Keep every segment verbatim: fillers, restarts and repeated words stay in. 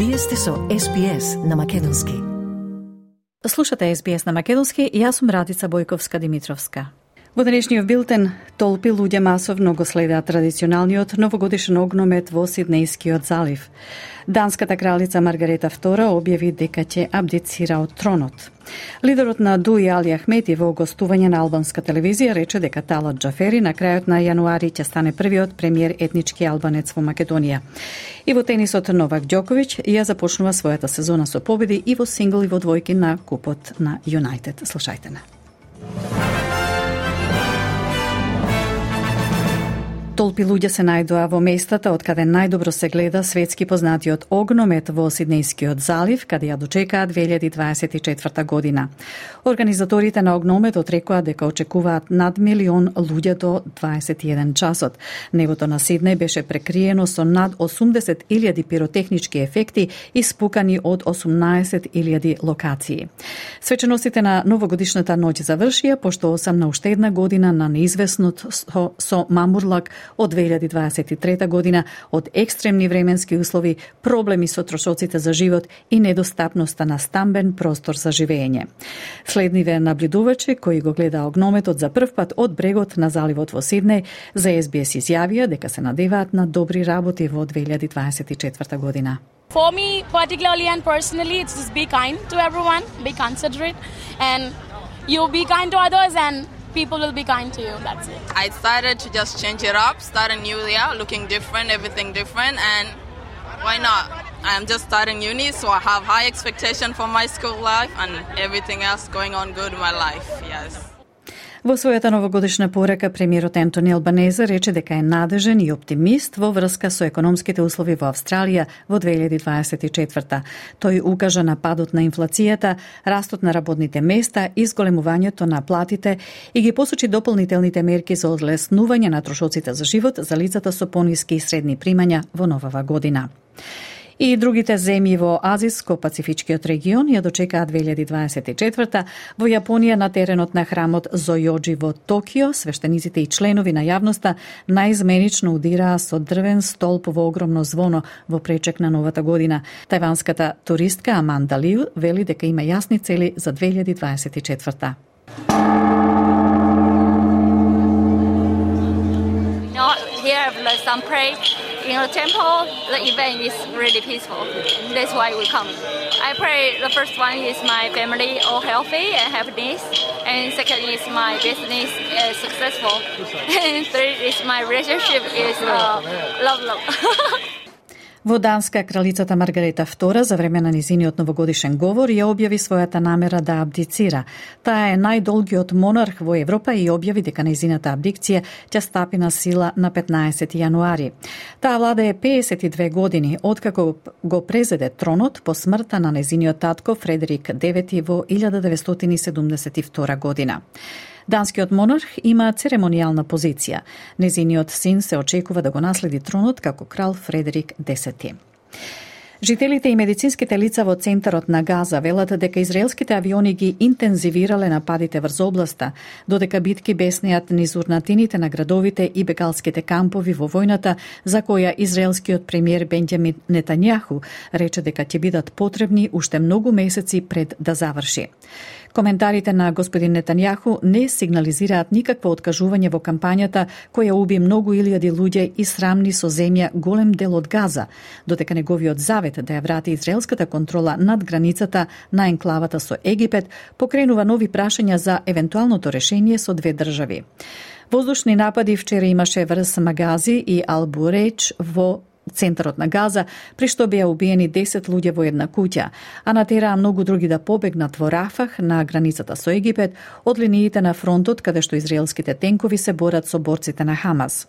Вие сте со Ес Би Ес на македонски. Слушате Ес Би Ес на македонски и јас сум Радица Бојковска-Димитровска. Во денешниот билтен, толпи луѓе масовно го следат традиционалниот новогодишен огномет во Сиднејскиот залив. Данската кралица Маргарета Втора објави дека ќе абдицира од тронот. Лидерот на Дуи Али Ахмети во гостување на албанска телевизија рече дека Талат Џафери на крајот на јануари ќе стане првиот премиер етнички албанец во Македонија. И во тенисот Новак Ѓоковиќ ја започнува својата сезона со победи и во сингл и во двојки на купот на Юнайтед. Слушајте на. Толпи луѓе се најдоа во местата од каде најдобро се гледа светски познатиот огномет во Сиднејскиот залив, каде ја дочекаа две илјади дваесет и четврта година. Организаторите на огнометот рекоа дека очекуваат над милион луѓе до дваесет и еден часот. Небото на Сиднеј беше прекриено со над осумдесет илјади пиротехнички ефекти испукани од осумнаесет илјади локации. Свеченостите на новогодишната ноќ завршија, пошто осам на уште една година на неизвестнот со, со мамурлак од две илјади дваесет и трета година, од екстремни временски услови, проблеми со трошоците за живот и недостапноста на стамбен простор за живење. Следниве наблюдувачи кои го гледа огнометот за прв пат од брегот на заливот во Сиднеј за Ес Би Ес изјавија дека се надеваат на добри работи во две илјади дваесет и четврта година. For me, particularly and personally, it's just be kind to everyone, be considerate, and you be kind to others and people will be kind to you, that's it. I decided to just change it up, start a new year, looking different, everything different, and why not? I'm just starting uni, so I have high expectation for my school life and everything else going on good in my life, yes. Во својата новогодишна порека, премиерот Ентони Албанезе рече дека е надежен и оптимист во врска со економските услови во Австралија во две илјади дваесет и четврта. Тој укажа на падот на инфлацијата, растот на работните места и зголемувањето на платите и ги посочи дополнителните мерки за олеснување на трошоците за живот за лицата со пониски и средни примања во новава година. И другите земји во Азиско-Пацифичкиот регион ја дочекаа две илјади дваесет и четврта. Во Јапонија на теренот на храмот Зојоџи во Токио, свештениците и членови на јавноста наизменично удираа со дрвен столб во огромно звоно во пречек на новата година. Тајванската туристка Аманда Лиу вели дека има јасни цели за две илјади дваесет и четврта. Some pray in the temple. The event is really peaceful. That's why we come. I pray the first one is my family all healthy and happiness, and second is my business is successful, and third is my relationship is uh, love, love. Во Данска, кралицата Маргарета Втора за време на низиниот новогодишен говор ја објави својата намера да абдицира. Таа е најдолгиот монарх во Европа и објави дека низината абдикција ќе стапи на сила на петнаесети јануари. Таа влада е пеесет и две години, откако го презеде тронот по смртта на низиниот татко Фредерик девети во илјада деветстотини седумдесет и втора година. Данскиот монарх има церемонијална позиција. Незиниот син се очекува да го наследи тронот како крал Фредерик десети. Жителите и медицинските лица во центарот на Газа велат дека израелските авиони ги интензивирале нападите врз областа, додека битки беснеат низ урнатините на градовите и бегалските кампови во војната, за која израелскиот премиер Бенџамин Нетањаху рече дека ќе бидат потребни уште многу месеци пред да заврши. Коментарите на господин Нетањаху не сигнализираат никакво откажување во кампањата која уби многу илјади луѓе и срамни со земја голем дел од Газа, додека неговиот завет да ја врати израелската контрола над границата на енклавата со Египет покренува нови прашања за евентуалното решение со две држави. Воздушни напади вчера имаше врз Магази и Ал-Бурејч во центарот на Газа, при што беа убиени десет луѓе во една куќа, а натераа многу други да побегнат во Рафах на границата со Египет од линиите на фронтот каде што израелските тенкови се борат со борците на Хамас.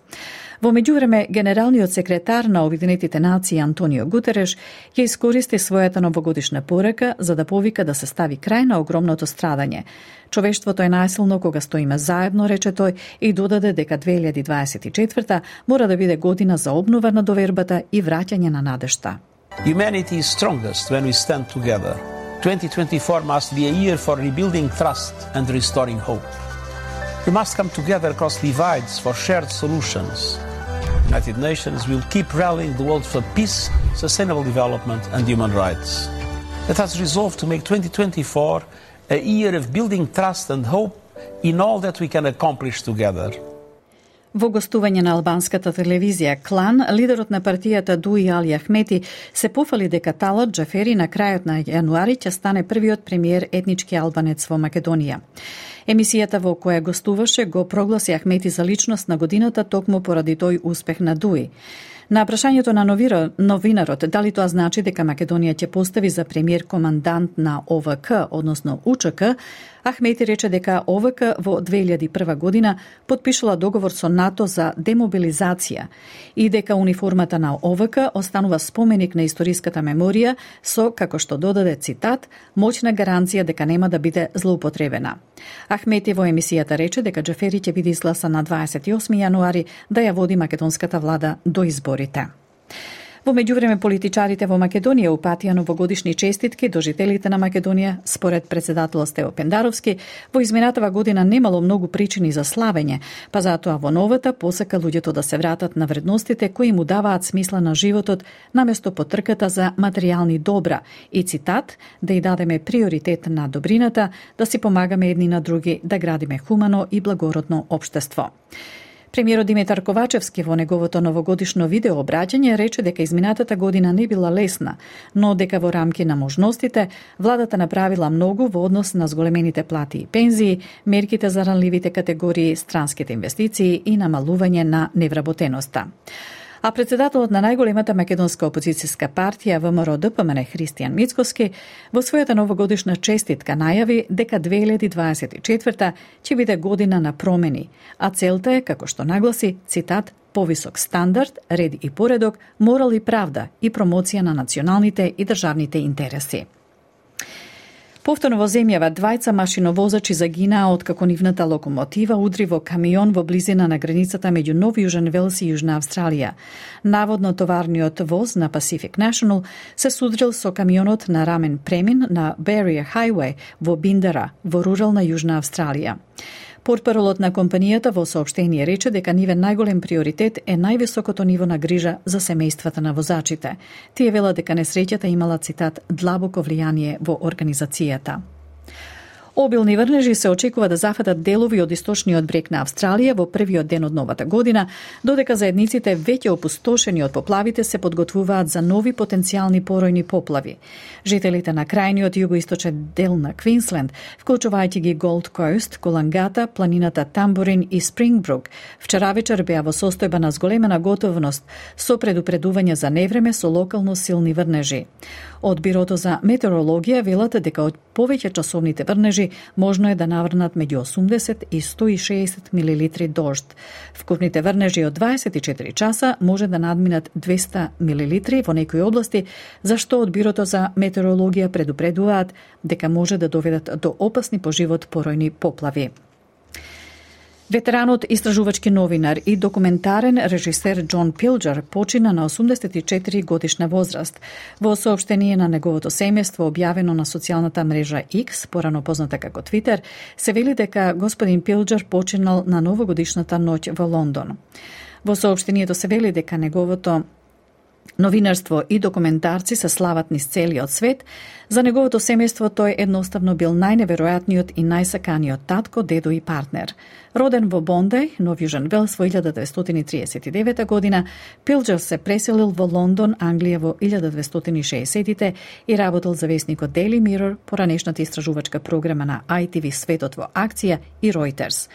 Во меѓувреме, генералниот секретар на Обединетите нации Антонио Гутереш ја искористи својата новогодишна порека за да повика да се стави крај на огромното страдање. Човештвото е најсилно кога стоиме заедно, рече тој, и додаде дека две илјади дваесет и четврта мора да биде година за обнова на довербата и враќање на надежта. Humanity is strongest when we stand together. twenty twenty-four must be a year for rebuilding trust and restoring hope. We must come together across divides for shared solutions. United Nations will keep rallying the world for peace, sustainable development and human rights. It has resolved to make twenty twenty-four a year of building trust and hope in all that we can accomplish together. Во гостување на албанската телевизија Клан, лидерот на партијата Дуи Али Ахмети се пофали дека Талат Џафери на крајот на јануари ќе стане првиот премиер етнички албанец во Македонија. Емисијата во која гостуваше го прогласи Ахмети за личност на годината токму поради тој успех на Дуи. На прашањето на новинарот дали тоа значи дека Македонија ќе постави за премиер командант на О В К, односно У Ч К, Ахмети рече дека О В К во две илјади и прва година потпишала договор со НАТО за демобилизација и дека униформата на О В К останува споменик на историската меморија со, како што додаде цитат, моќна гаранција дека нема да биде злоупотребена. Ахмети во емисијата рече дека Џафери ќе биде изгласан на дваесет и осми јануари да ја води македонската влада до изборите. Во меѓувреме, политичарите во Македонија упатија новогодишни честитки до жителите на Македонија. Според председателот Стево Пендаровски, во изминатава година немало многу причини за славење, па затоа во новата посака луѓето да се вратат на вредностите кои му даваат смисла на животот наместо потрката за материјални добра и цитат, да и дадеме приоритет на добрината, да си помагаме едни на други, да градиме хумано и благородно општество. Премиерот Димитар Ковачевски во неговото новогодишно видео обраќање рече дека изминатата година не била лесна, но дека во рамки на можностите владата направила многу во однос на зголемените плати и пензии, мерките за ранливите категории, странските инвестиции и намалување на невработеноста. А председателот на најголемата македонска опозицијска партија Вэ Ем Р Д П М Н Христијан Мицкоски во својата новогодишна честитка најави дека две илјади дваесет и четврта ќе биде година на промени, а целта е, како што нагласи, цитат, повисок стандард, ред и поредок, морал и правда и промоција на националните и државните интереси. Повторно во земјава двајца машиновозачи загинаа откако нивната локомотива удри во камион во близина на границата меѓу Нов Јужен Велс и Јужна Австралија. Наводно товарниот воз на Pacific National се судрил со камионот на рамен премин на Barrier Highway во Биндера, во рурална Јужна Австралија. Портпаролот на компанијата во соопштение рече дека нивен најголем приоритет е највисокото ниво на грижа за семејствата на возачите. Тие велат дека несреќата имала, цитат, длабоко влијание во организацијата. Обилни врнежи се очекува да зафатат делови од источниот брег на Австралија во првиот ден од новата година, додека заедниците веќе опустошени од поплавите се подготвуваат за нови потенцијални поројни поплави. Жителите на крајниот југоисточен дел на Квинсленд, вклучувајќи ги Голд Коуст, Колангата, планината Тамбурин и Спрингбрук, вчера вечер беа во состојба на зголемена готовност со предупредување за невреме со локално силни врнежи. Од Бирото за метеорологија велат дека од повеќе часовните врнежи можно е да наврнат меѓу осумдесет и сто и шеесет милилитри дожд. Вкупните врнежи од дваесет и четири часа може да надминат двесте милилитри во некои области, зашто од Бирото за метеорологија предупредуваат дека може да доведат до опасни по живот поројни поплави. Ветеранот истражувачки новинар и документарен режисер Џон Пилџер почина на осумдесет и четири годишна возраст. Во соопштение на неговото семејство објавено на социјалната мрежа X, порано позната како Твитер, се вели дека господин Пилџер починал на новогодишната ноќ во Лондон. Во соопштението се вели дека неговото новинарство и документарци се слават низ целиот свет. За неговото семејство тој едноставно бил најневеројатниот и најсаканиот татко, дедо и партнер. Роден во Бондеј, Нов Јужен Велс во илјада деветстотини и триесет и девета година, Пилџер се преселил во Лондон, Англија во илјада деветстотини и шеесеттите и работел за весникот Daily Mirror, поранешната истражувачка програма на Ай Ти Ви Светот во акција и Reuters.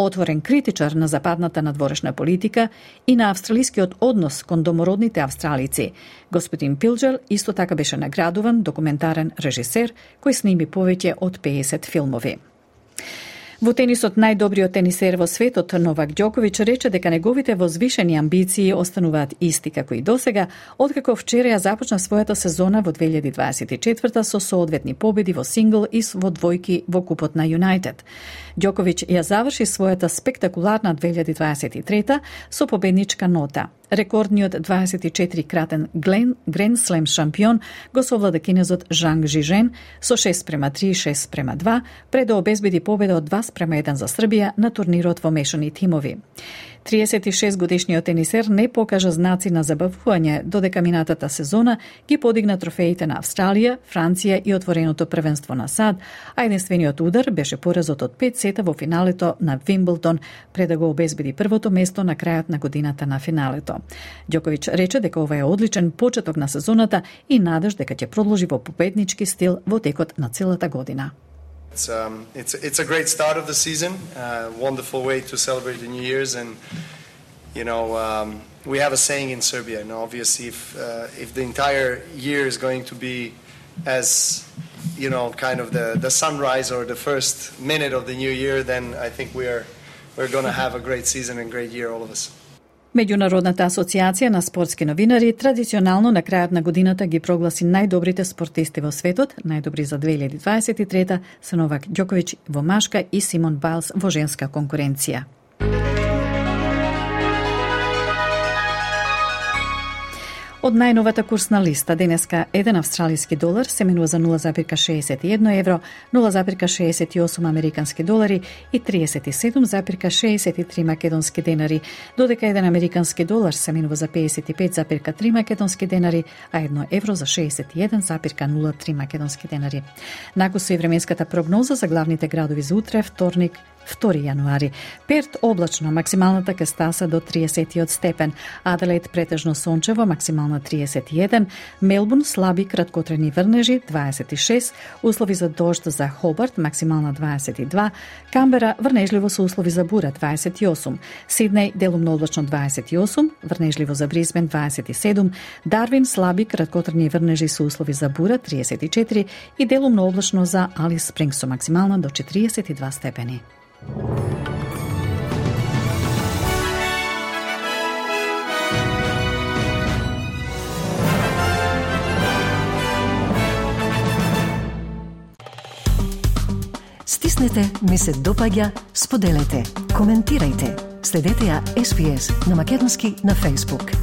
Отворен критичар на западната надворешна политика и на австралискиот однос кон домородните австралици, господин Пилџер исто така беше наградуван документарен режисер кој сними повеќе од пеесет филмови. Во тенисот најдобриот тенисер во светот Новак Ѓоковиќ рече дека неговите возвишени амбиции остануваат исти како и досега, откако вчера ја започна својата сезона во две илјади дваесет и четврта со соодветни победи во сингл и во двојки во купот на Юнајтед. Ѓоковиќ ја заврши својата спектакуларна две илјади дваесет и трета со победничка нота. Рекордниот дваесет и четири кратен Гранд Слем шампион го совлада кинезот Жанг Жижен со шест спрема три и шест спрема два, пред да обезбеди победа од два спрема еден за Србија на турнирот во мешани тимови. триесет и шест годишниот тенисер не покажа знаци на забавување, додека минатата сезона ги подигна трофеите на Австралија, Франција и отвореното првенство на САД, а единствениот удар беше поразот од пет сета во финалето на Вимблдон, пред да го обезбеди првото место на крајот на годината на финалето. Ѓоковиќ рече дека ова е одличен почеток на сезоната и надеж дека ќе продолжи во победнички стил во текот на целата година. It's, um, it's, it's a great start of the season, uh, wonderful way to celebrate the New Year's, and you know um, we have a saying in Serbia, and obviously if uh, if the entire year is going to be as you know kind of the, the sunrise or the first minute of the new year, then I think we are we're going to have a great season and great year, all of us. Меѓународната асоциација на спортски новинари традиционално на крајот на годината ги прогласи најдобрите спортисти во светот, најдобри за две илјади дваесет и трета се Новак Ѓоковиќ во машка и Симон Байлс во женска конкуренција. Од најновата курсна листа денеска еден австралиски долар се менува за нула зарез шеесет и едно евро, нула зарез шеесет и осум американски долари и триесет и седум зарез шеесет и три македонски денари, додека еден американски долар се менува за пеесет и пет зарез три македонски денари, а едно евро за шеесет и еден зарез нула три македонски денари. Накусо и временската прогноза за главните градови за утре, вторник, втори јануари. Перт облачно, максималната ќе стаса до триесет степен, Аделаид претежно сончево, максимална триесет и еден, Мелбурн слаби краткотрени врнежи дваесет и шест, услови за дожд за Хобарт, максимална дваесет и два, Камбера врнежливо со услови за бура дваесет и осум, Сиднеј делумно облачно дваесет и осум, врнежливо за Брисбен дваесет и седум, Дарвин слаби краткотрени врнежи со услови за бура триесет и четири и делумно облачно за Алис Спрингс со максимална до четириесет и два степени. Стиснете, ми се допаѓа, споделете, коментирајте. Следете ја Ес Би Ес на македонски на Facebook.